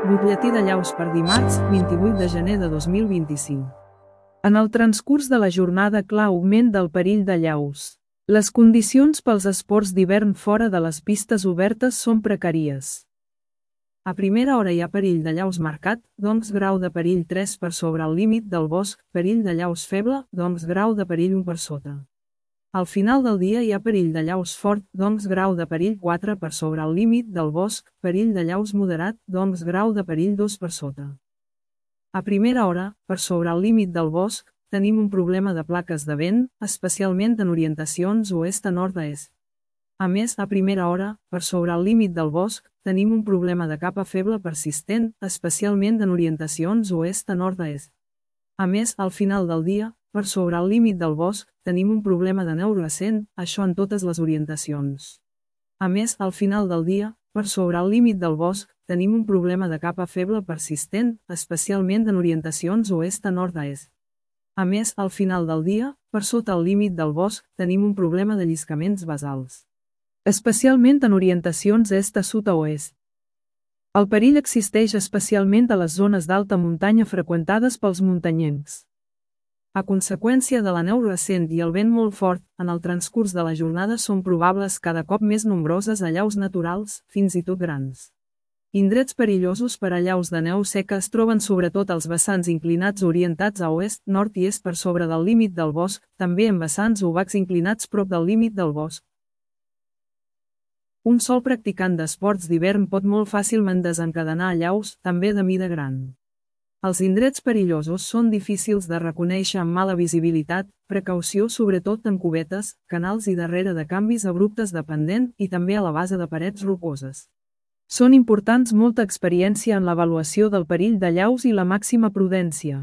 Butlletí de llaus per dimarts, 28 de gener de 2025. En el transcurs de la jornada clar augment del perill de llaus. Les condicions pels esports d'hivern fora de les pistes obertes són precàries. A primera hora hi ha perill de llaus marcat, doncs grau de perill 3 per sobre el límit del bosc, perill de llaus feble, doncs grau de perill 1 per sota. Al final del dia hi ha perill de llaus fort, doncs grau de perill 4 per sobre el límit del bosc, perill de llaus moderat, doncs grau de perill 2 per sota. A primera hora, per sobre el límit del bosc, tenim un problema de plaques de vent, especialment en orientacions oest a nord a est. A més, a primera hora, per sobre el límit del bosc, tenim un problema de capa feble persistent, especialment en orientacions oest a nord a est. A més, al final del dia, per sobre el límit del bosc, tenim un problema de neu recent, això en totes les orientacions. A més, al final del dia, per sobre el límit del bosc, tenim un problema de capa feble persistent, especialment en orientacions oest a nord a est. A més, al final del dia, per sota el límit del bosc, tenim un problema de lliscaments basals, especialment en orientacions est a sud a oest. El perill existeix especialment a les zones d'alta muntanya freqüentades pels muntanyencs. A conseqüència de la neu recent i el vent molt fort, en el transcurs de la jornada són probables cada cop més nombroses allaus naturals, fins i tot grans. Indrets perillosos per a allaus de neu seca es troben sobretot als vessants inclinats orientats a oest, nord i est per sobre del límit del bosc, també en vessants obacs inclinats prop del límit del bosc. Un sol practicant d'esports d'hivern pot molt fàcilment desencadenar allaus, també de mida gran. Els indrets perillosos són difícils de reconèixer amb mala visibilitat, precaució sobretot en cubetes, canals i darrere de canvis abruptes de pendent i també a la base de parets rocoses. Són importants molta experiència en l'avaluació del perill d'allaus i la màxima prudència.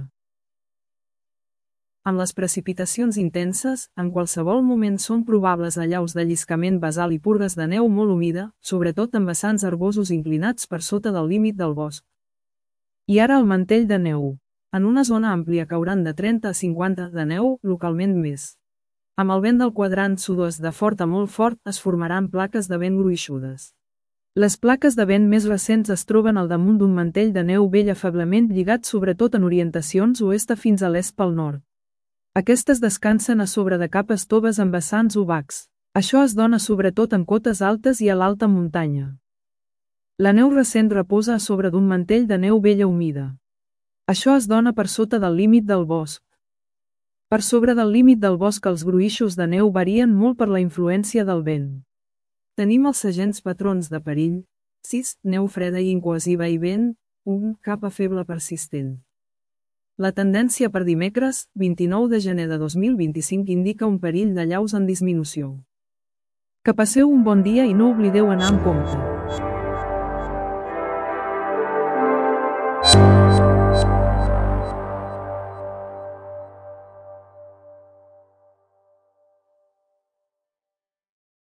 En les precipitacions intenses, en qualsevol moment són probables allaus de lliscament basal i purgues de neu molt humida, sobretot en vessants herbosos inclinats per sota del límit del bosc. I ara el mantell de neu. En una zona àmplia cauran de 30 a 50 de neu, localment més. Amb el vent del quadrant sud-oest de fort a molt fort es formaran plaques de vent gruixudes. Les plaques de vent més recents es troben al damunt d'un mantell de neu vell feblement lligat sobretot en orientacions oest a fins a l'est pel nord. Aquestes descansen a sobre de capes toves amb vessants obacs. Això es dona sobretot en cotes altes i a l'alta muntanya. La neu recent reposa a sobre d'un mantell de neu vella humida. Això es dona per sota del límit del bosc. Per sobre del límit del bosc els gruixos de neu varien molt per la influència del vent. Tenim els segents patrons de perill: 6. Neu freda i incohesiva i vent. 1. Capa feble persistent. La tendència per dimecres, 29 de gener de 2025 indica un perill d'allaus en disminució. Que passeu un bon dia i no oblideu anar amb compte.